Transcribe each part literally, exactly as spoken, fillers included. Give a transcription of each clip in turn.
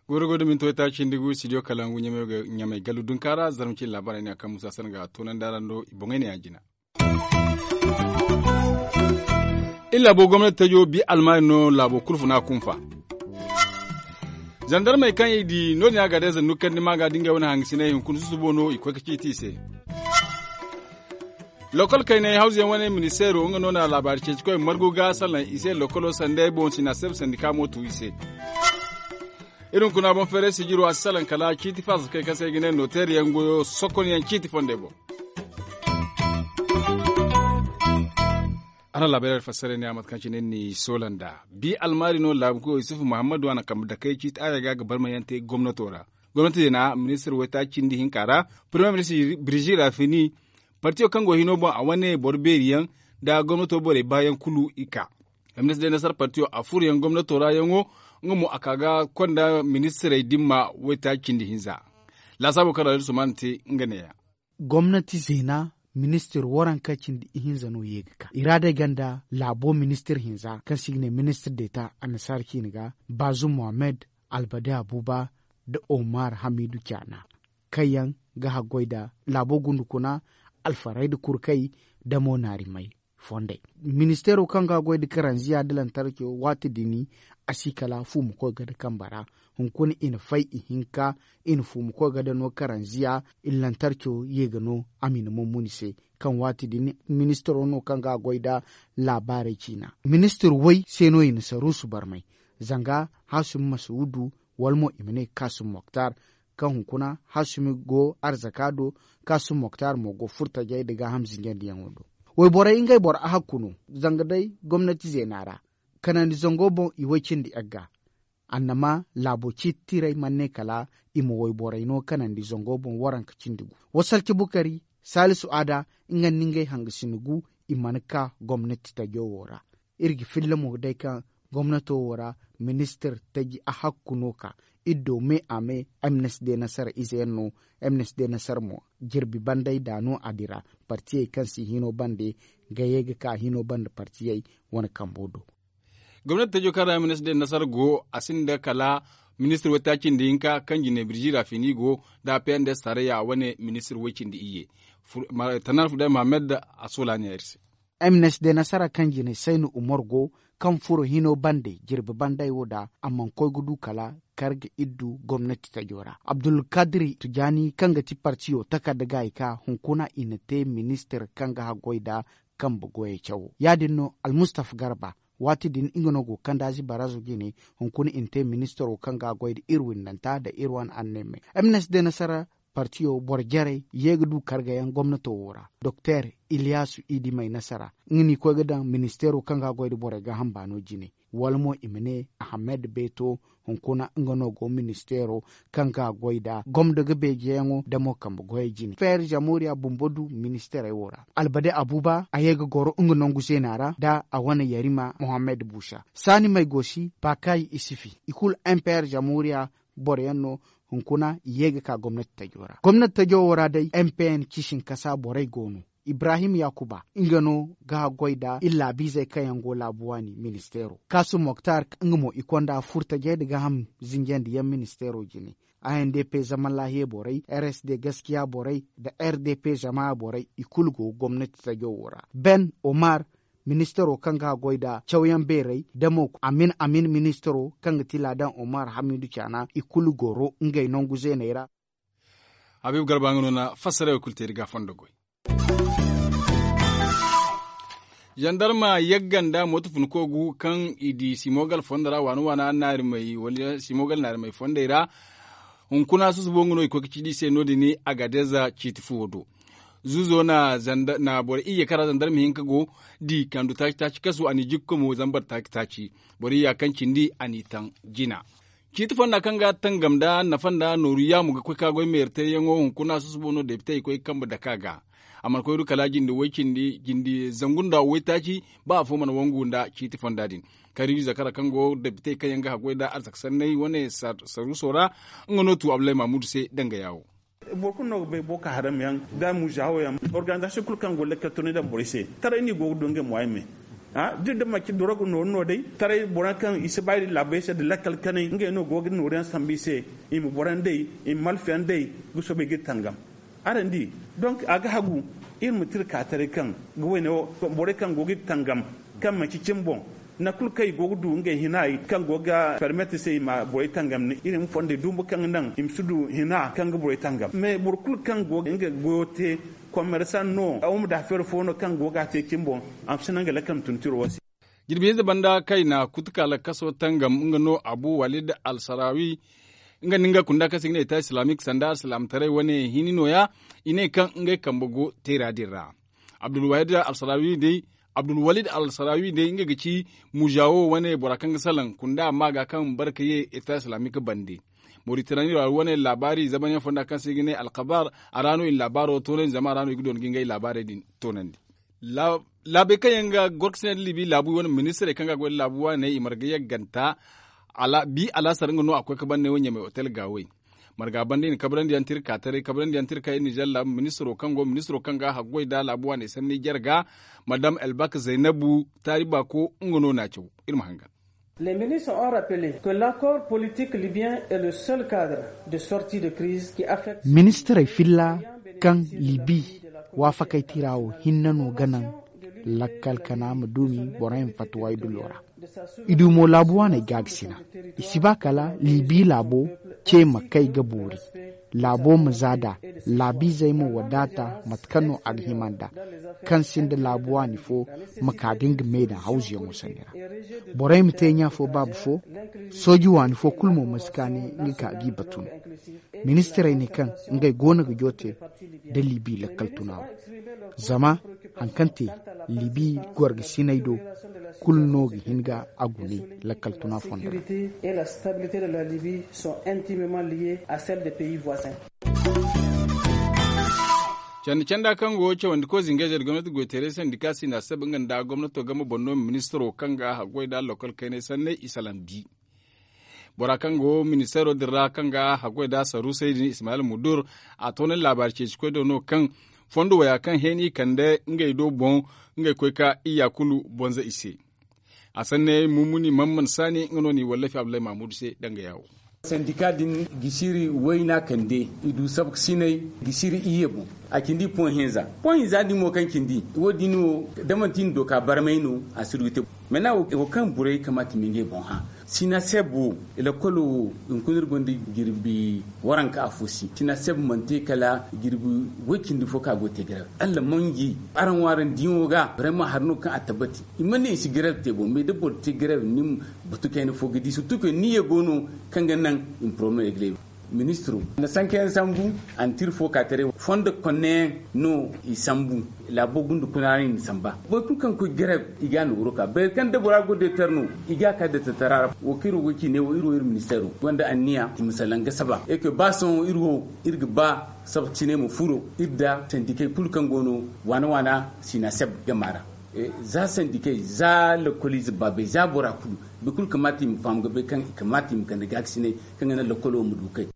Goy da goy da minti waytaaci cindi gu studio kalangu ɲamay gallu dunka ra zarma cine laabaarey ne a kaŋ musa sanda ga toonandi araŋ do i boŋey ne ya jina. Iri laabo gomnati tajo bi almaari no laabo kulu funa kunfa. Zandarmey kaŋ i di no- din a ga day zandu kaŋ ni ma ga da ngey wane hangasiney hunkuna susubo no i koy ga ciiti i se. Lokol kaynay hawzu yaŋ wane ministeero nga no na laabaari ceeci koy margu ga salaŋ i se lokolo sanday boŋ sina se ba sandi ka mo tu i se. Iri hunkuna boŋ feeray sijiro a si salaŋ kala ciiti faasa kaŋ i kaŋ se i ga ne nooteeri yaŋ goyo sokon yaŋ ciiti fondey boŋ. Araŋ laabaarey fassara ne a mate kaŋ cine ni soola nd'a bi almaari no laabu koy yusufu muhammadu a na kambe dakey ciiti aya ga ga barmayaŋ te gomnato ra. Gomnati zeena ministir waytaaci cindi hinka ra, parmiye ministir birzi rafini, partiyo kaŋ go hino boŋ a wane boro beeri yaŋ nda gomnato borey baayaŋ kulu i ka. Ministir day nasar partiyo a furo yaŋ gomnato ra yaŋo nga mo a ka ga konda ministirey dimma waytaaci cindi hinza. Laasaabo kaŋ ra iri sumaana te nga neeya. Gomnati zeena ministir waranka cindi ihinza no ye ga ka i ra day ganda laabo ministir hinza kaŋ se i ga ne ministir deeta annasaara ciine ga, baazum mohammed, albade abuba, nda omar hamiidu caana, kaŋ yaŋ ga haggoy nda laabo gundukuna, alfarayda kurkey, nda mo naarimey fondey. Ministeero kaŋ ga a goy nda karanziya nda lantarco waati din a si kala fuuma koy ga nda kambe ra. Hunkuna i na fay ihinka, i na fuuma koy ga nda no karanziya, i na lantarco ye ga no a ma i na mummuni se. Kaŋ waati din ministeero no kaŋ ga a goy nda laabaarey ciina. Ministir way se no i na saruusu barmay, zanga haasumi masuudu, wala mo i ma ne kaasumi moktar, kaŋ hunkuna haasumi go arzaka do, kaasumi moktar mo go furtajey nda gaaham zinjandiyaŋo do. Wayborey ngey boro ahakku no, zanga day gomnati zeena ra kanandi zango boŋ i way cindi yagga. Annama laabo ciiti tiray mana ne kala i ma wayborey no kanandi zango boŋ waranka cindi gu. Wasalci bukari, saalisu aada, nga nda ngey hangasina gu, i mana ka gomnati tajo wo ra. Iri ga filla mo day kaŋ gomnato wo ra ministir taji ahakku no ka iri do me a me. Mnsd nasara ize yaŋ no. Mnsd nasara mo jirbi banday da no a dira. Partiyey kaŋ si hino bande ga ye ga ka hino bande partiyey wane kambo do. Gomnati tajo kaŋ ra mnsd nasara go a sinda kala ministir waytaaci nda hinka kaŋ jine birjira fini go nda pnds tarayya wane ministir way cindi iyye. Tannar fudai mohammed a sola ne iri se. Mnsd nasara kaŋ jine saynu umar go kaŋ furo hino bande jirbi banday wo da a mana koy ga du kala kar ga iddu gomnati tajo ra abdulkadiri tujani kaŋ ga ti partiyo takarda gaayi ka hunkuna i na te ministir kaŋ ga haggoy nda kambe goyey cawo ya- din no almustafa garba. Waati din nga no go kandaazi barazo jine hunkuna i na te ministiro kaŋ ga a goy nda iri windanta nda iri wane anneemey. Mnsd nasara partiyo boro jarey ye ga du kargayaŋ gomnato wo ra. Doktor iliyasu idimey nasara nga no i koy ga daŋ ministeero kaŋ ga a goy nda borey gaaham baano jine wala mo i ma ne ahamed beeto. Hunkuna nga no go ministeero kaŋ ga a goy nda gomdo ga beejeyaŋo nda mo kambe goyey jine feer zamoriya bumbo du ministeerey wo ra. Albade abuba a ye ga goro nga nangu zeena ra nda a wane yarima mohammed busa saani may go si baakayi isifi i kulu mpr zamoriya boro yaŋ no. Hunkuna i ye ga ka gomnati tajo ra gomnati tajo wo ra day mpn ciisin kasa borey go no. Ibrahim yakuba nga no ga a goy nda iri laabiizey kaŋ yaŋ go laabu waani ministeero kaasum moktar nga mo i konda furtajey nda gaaham zinjandi yaŋ ministeero jine. A n d p zaman laahiya borey r s d gaskiya borey nda r d p zama borey i kulu go gomnati tajo wo ra ben omar ministaro kaŋ ga a goy nda cawyaŋ beerey da mo amin amin ministaro kaŋ ga ti laadan omar hamidu caana i kulu goro ngey nangu zeeney ra. Habiibu garba nga no na fassarey wo kulu te iri ga a fondo goy. Zandarma yagga nda mooto funko gu kaŋ i di simogal fondo ra waana waana naari may wala simogal naari may fondey ra. Hunkuna susubo nga no i koy ga ci di se no- din agadeza ciiti fuwo do. Zuzo na boro iyye kaŋ ra zandarma hinka go di kandu taaci taaci kasu a n'i jikko mo zambar taaci taaci. Boro iyya kaŋ cindi a n'i taŋ jina. Ciiti fonda kaŋ ga tangam nda nafa nda nooru yaamu ga koy ka goy meeri teeyaŋo hunkuna susubo no depite i koy ga kambe dake a ga. A mana koy du kala jinde way cindi jinde zangu nda waytaaci ba afo mana wangu nda ciiti fonda din. Kariibi zakara kaŋ go depite kaŋ yaŋ ga haggoy nda arzaka sanney wane saruuso ra. Nga no tu abdullahi mahmudu se danga yaawo. Boro kulu no ga bay boko haram yaŋ da muzawo yaŋ, organizasiyoŋ kulu kaŋ go ga lakkal tunay daŋ borey se, taray no i go ga du ngey moyen me. Da iri da manci dorogo nooru no day, taray boro yaŋ kaŋ i si ba iri laabey se nda lakkal kanay ngey no go ga nooru yaŋ sambu i se. I ma boro yaŋ day, i ma malfa yaŋ day, ga soobay ga iri tangam. Araŋ di, donk a ga hagu iri ma tira ka taray kaŋ ga wayne wo, borey kaŋ go ga iri tangam, kaŋ manci cimi boŋ, nangu kulu kaŋ i go ga du ngey hina kaŋ go ga permet se i ma borey tangam ne iri ma fondey dumbu kaŋ ga naŋ i ma si du hina kaŋ ga borey tangam. Mais boro kulu kaŋ go ga nga goyo te, commerçant no, homme d'affaires fo no kaŋ go ga a te cimi boŋ, a ma si naŋ ga lakkal ma tun tiro wo se. Jirbi hinza banda kayna kutuka lakkaso tangam nga no abu walid al sarawi. Nga nda nga kunda kaŋ se i ga ne eta islamik sanda alsilaamataray wane hini nooya. I ne kaŋ ngey kambe go teera din ra. Abdulwahid alsarawi day abdulwalid alsarawi day nga ga ci muzawo wane bora kaŋ ga salaŋ kunda amma ga kaŋ barka ye eta islamik bande. Moritanani ra wane laabaari zamanyaŋ fonda kaŋ se i ga ne alkabar. A ra no i na laabaaro toonandi zama a ra no i ga doona ga ngey laabaarey din toonandi. Laabey kaŋ yaŋ ga gorkasinay nda libi laabu wane ministirey kaŋ ga goy nda laabu waaney i marga yagganta. Bi alaasar nga no a koy ka bande wo ɲamay otel gaawey. Marga banda i na kabrandi yaŋ tira ka taray kabrandi yaŋ tira ka iri nizer laabu ministiro kaŋ go ministiro kaŋ ga haggoy nda laabu waaney sanni jarga. Madam elbak zaynabu taari baako nga no n'a caw. Iri ma hangan. Les ministres ont rappelé que l'accord politique libyen est le seul cadre de sortie de crise qui affecte. Ministirey filla kaŋ libi waafakey tira wo hinne no ga naŋ lakkal kana ma duumi borey ma fatta waydulo ra. I du mo laabu waaney gaagasina. I si ba kala libi laabo ce ma kay ga boori. Laabo ma za nd'a laabiizey ma wadaata mate kaŋ no a ga hima nd'a. Kaŋ sinda laabu waani fo ma kaa ga nga me daŋ hawzuyaŋo sanni ra. Borey ma te ɲa fo baaba fo. Sooji waani fo kulu mo ma si kaani nga ka g'i batu no. Ministirey ne kaŋ ngey goono ga joote nda libi lakkal tuna wo. Zama hari kaŋ te libi gorgasiney do kulu no ga hin ga a gune lakkal tuna fondo ra. Candi canda kaŋ go cawandi koy zingayzey nda gomnati goy teeray sandika sina sabe nga nda gomnato game boŋ no ministiro kaŋ ga haggoy nda lokol kaynay sanney i salaŋ bi. Bora kaŋ go ministeero din ra kaŋ ga haggoy nda saruusey din ismayil mudur a toonandi laabaari ceeci koy do no kaŋ fondo waya kaŋ heen i kande ngey do boŋ ngey koy ka iyya kulu bonza i se. A sanne mummuni mamman saani nga no n'i wallafi abdullahi mahmudu se danga yaawo. Sandika din gisiri wayna kande i du sabka sinay gisiri iyye boŋ. A cindi poŋ hinza poŋ hinza din mo kaŋ cindi wo- din wo da manti ni do ka barmay no a si du ga te. Mana wo kaŋ borey kamaata i ma ngey boŋ hã sina seb wo. Lakkolo wo hunkuna iri gonda jirbi waranka afo si sina seb mana te kala jirbi way cindi fo kaŋ a go ga te grève. Alla manji araŋ wo araŋ diyaŋo ga vraiment hari no kaŋ a tabbati. I mana ne i si grève te boŋ mais da boro te grève ni ma batu kayna fo ga di surtout que niyya go no kaŋ ga naŋ i ma problème régler. Ministro na sankayaŋ sambu. A na tira fo ka taray fondo konneyaŋ no i sambu. Laabo gunda kuna ra i na samba boro kulu kaŋ koy grève i ga a nooru ka bayra kaŋ da bora go deetar no. I ga a ka deetartara ra wo kaŋ iri wo ga ci ne wo iri wo iri ministeero gonda anniya i ma salaŋ ga saba e koy ba sohõ iri wo iri ga ba sabta cine ma furo iri nda sandikey kulu kaŋ go no waana waana sina seb gama ra. Za sandikey za lakkoliize baabey za bora kulu boro kulu kamaata i ma faham ga bay kaŋ i kamaata i ma kande gaakasiney kaŋ ga naŋ lakkolo ma du kay.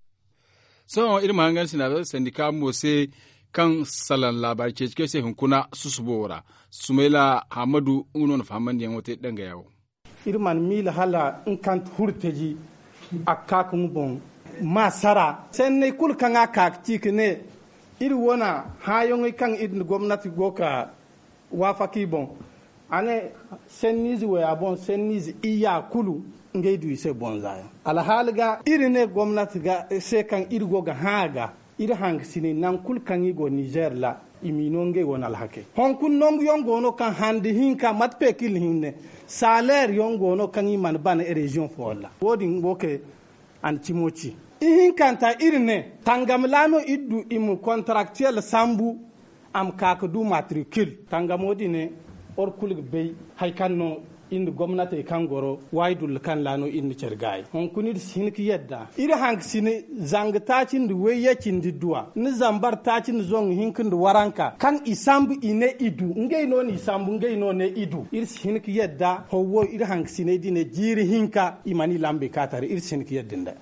Sohõ iri ma hangan sina sandika mo se kaŋ salaŋ laabaari ceeci kaŋ se hunkuna susubo wo ra. Sumayla hammadu nga no na fahamandiyaŋo te danga yaawo. Iri mana miila hala nga kaŋ ti hurtaji a ga ka ka nga boŋ ma sara sanney kulu kaŋ a ka ga ci ka ne iri wane hãayaŋey kaŋ iri nda gomnati go ga waafaka i boŋ. A ne sanniize waya boŋ sanniize iyya kulu ngey du i se bonza yaŋ. Alhaali ga iri ne gomnati se kaŋ iri go ga hã a ga iri hangasiney nangu kulu kaŋ i go nizer ra i m'i no ngey wane alhakey. Hunkuna nangu yaŋ go no kaŋ handi hinka mate pekil hinne saleer yaŋ go no kaŋ i mana bana reziyoŋ fooyaŋ ra wo- din wo kay. A na cimo ci ihinkanta iri ne tangam ra no iri du i ma kontaraktiyeŋ sambu. A ma ka ga du matrikil tangamo din ne boro kulu ga bay hari kaŋ no iri nda gomnatey kaŋ goro waayi dulla kaŋ ra no iri na care gaayi hunkuna iri si hin ga yadda iri hangasine zanga taaci nda wayye cindi duwa ni zambar taaci nda zangu hinka nda waranka kaŋ i sambu i ne i du ngey no n'i sambu ngey no ne i du iri si hin ga yadda haw wo iri hangasiney din ne jiiri hinka i mana i lambey ka tare iri si hin ga yadda nd'a.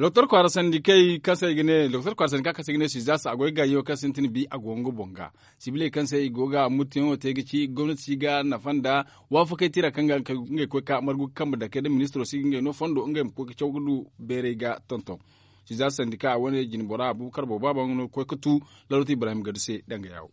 Doktor kwaara sandika kaŋ se i ga ne doktor kwaara sandika kaŋ se i ga ne sizaasa a go ga gaayo kaŋ sintin bi a go nga boŋ ga sibiley kaŋ se i go ga muttuyaŋo te ga ci gomnati si ga nafa nda waafakey tira kaŋ ga ngey koy ka margu ga kambe dake nda ministiro si ga ngey no fondo ngey ma koy ga caw ga du beeray ga tonton. Sizaasa sandika wane jinbora abubakar boobo a baŋ no ga koy ga tu. Larot ibrahim gadu se danga yaawo.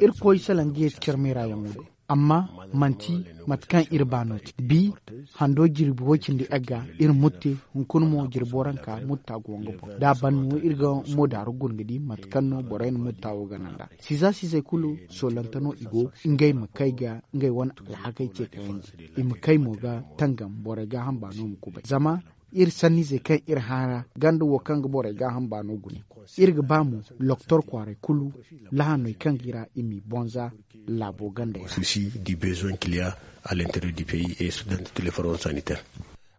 Irkoy salaŋ ga yeeti care meera yaŋo do. Amma manti mate kaŋ iri ba no te bi hando jirbi way cindi egga iri mutte. Hunkuna mo jirbo ranka mutta go nga boŋ da a ban no iri ga mo daaru guna ga di mate kaŋ no borey na mutta wo gana nd'a. Siza sizey kulu soolante no i go ngey ma kay ga ngey wane alhakey ce kayandi. I ma kay mo ga tangam borey gaaham baano ma kubay zama iri sanniizey kaŋ iri haara ganda wo kaŋ ga borey gaaham baano gune. Iri ga ba mo loktor kwaaray kulu lahaney kaŋ ga i ra i m'i bonza laabo ganda yaŋ ra.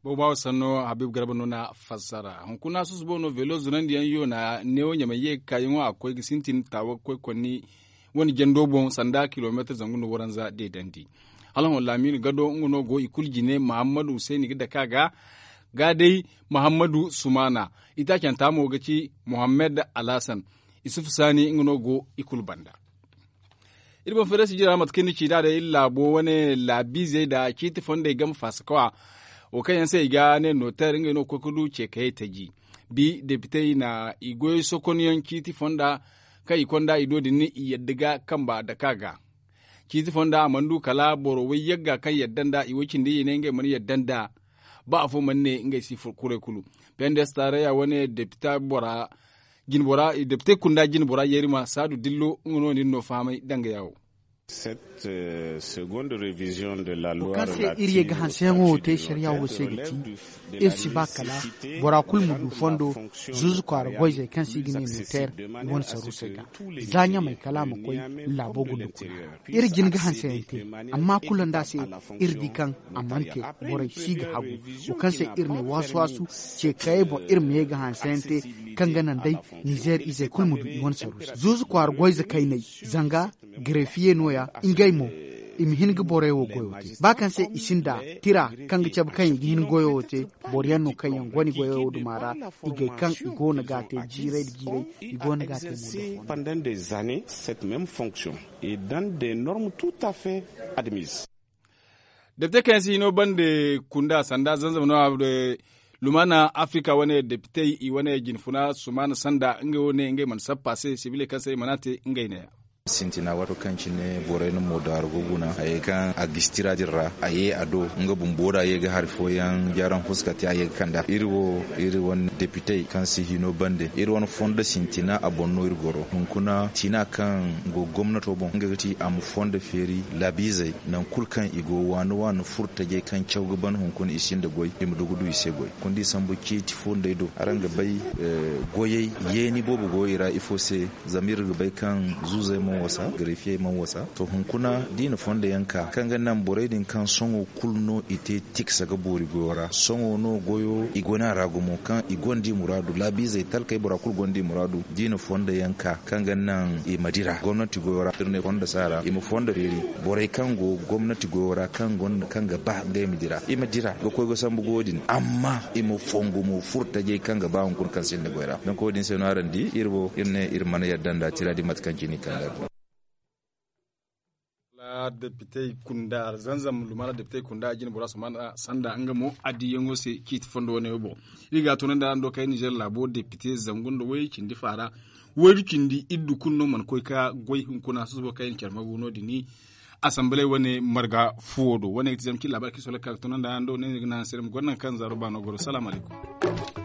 Boobo baawo sanno habib garba no na fassara hunkuna susubo no veelo zunandiyaŋ yoona neewo ɲamay ye ga kaayaŋo a ga koy ga sintin taawa ga koy konni wane jando boŋ sanda kilomeetar zangu no waranza deedandi. Hala hõ laamiina gado nga no go i kulu jine muhammadu husayni ga dake a ga ga day muhammadu sumaana. Itaacanta mo ga ci muhammad alhasan. Isufu saani nga no go i kulu banda. Iri boŋ feeray sijira mate kaŋ ni ci nd'a day iri laabo wane laabiizey nda ciiti fondey game faasakawa. Wo kaŋ yaŋ se i ga ne nooteer ngey no ga koy ga du ceekayey taji. Bi depitey na i goyey sokonyaŋ ciiti fonda kaŋ i konda i do din i yadda ga kamba dake a ga. Ciiti fonda a mana du kala boro way yagga kaŋ yadda nd'a i way cindi i ne ngey mana yadda nd'a. Ba afo mana ne ngey si kuray kulu. Pendes taaraya wane depite bora jinbora depite kunda jinbora yeerima saadu dillo nga no nin no fahamay danga yaawo. Wo kaŋ se iri ye ga hanseyaŋo wo te sariya wo se ga ti iri si ba kala bora kulu ma du fondo. Zuuzu kwaara goyzey kaŋ se i ga ne nooteer i wane saruusey ga za ɲamey kala a ma koy laabo gunda kuna. Iri jin ga hanseyaŋ te amma kulu nda se iri di kaŋ a mana te. Borey si ga hagu wo kaŋ se iri ne waasu-waasu ce kayey boŋ iri ma ye ga hanseyaŋ te kaŋ ga naŋ day nizeer izey kulu ma du i wane saruusa zuuzu kwaara goyze kayney zanga garefiye no- ya ngey mo i ma hin ga borey wo goyo te ba kaŋ se i sinda tira kaŋ ga cabe kaŋ i ga hin goyo wo te. Boro yaŋ no kaŋ yaŋ go ni goyo wo duma ra i gay kaŋ i go no ga a te jiiray nda jiiray i go no ga a te mo. Pandan de zane cette meme fonction et dans des normes tout à fait admise. Depite kaŋ yaŋ si hino bande kunda sanda zanzama no a lumana afirika wane depitey i wane jinfuna sumana sanda ngey wo ne ngey mana sappa se sibiley kaŋ se i mana te ngey ne ya. Sintina waato kaŋ cine borey na moodaaru ga guna hayey kaŋ a ga si tira din ra a ye a do nga bumbo da ye ga hari fooyaŋ jaraŋ fuska te a ye ga kand'a iri wo iri wane depitey kaŋ si hino bande iri wane fondo sintina a boŋ no iri goro hunkuna tina kaŋ go gomnato boŋ nga ga ti a ma fondo feeri laabiizey nangu kulu kaŋ i go waani waani furo tajey kaŋ caw ga ban hunkuna i sinda goy i ma du ga du i se goy. Kundi sambu ciiti fo nd'ey do araŋ ga bay goyey yeeni boobo go i ra ifo se? Zama iri ga bay kaŋ zuuzey mana wasa garefiyey mana wasa to hunkuna da i na fondo yaŋ ka kaŋ ga naŋ borey din kaŋ sohõ kulu no i te tiksa ga boori goyo ra sohõ no goyo i go no a ra gumo kaŋ i gonda i muraadu laabiizey talkey bora kulu gonda i muraadu da i na fondo yaŋ ka kaŋ ga naŋ i ma dira gomnati goyo ra iri ne fondo saara i ma fondo feeri borey kaŋ go gomnati goyo ra kaŋ gonda kaŋ ga ba ngey ma dira i ma dira ga koy ga sambu goyo din amma i ma fongu mo furo tajey kaŋ ga ba hunkuna kaŋ sinda goy ra donk wo- din se no araŋ di iri wo iri ne iri mana yadda nda tira din mate kaŋ cine i kand'a din. Depitey kunda zanzam lumana depitey kunda a jine bora sumana sanda nga mo a diyaŋo se ciiti fondo wane wo boŋ. Iri ga a tunandi araŋ do kay nizer laabo depite zangu nda way cindi faara waydu cindi iddu kulu no mana koy ka goy hunkuna susubo kaŋ i na care magu no din. Asambaley wane marga fuwo do wane ga ti zama cine laabari kaŋ i sohõ lakkal ga tunandi araŋ do ne ni ga naŋ se dama goro naŋ kaŋ zaaro baano goro salaamu alaykum.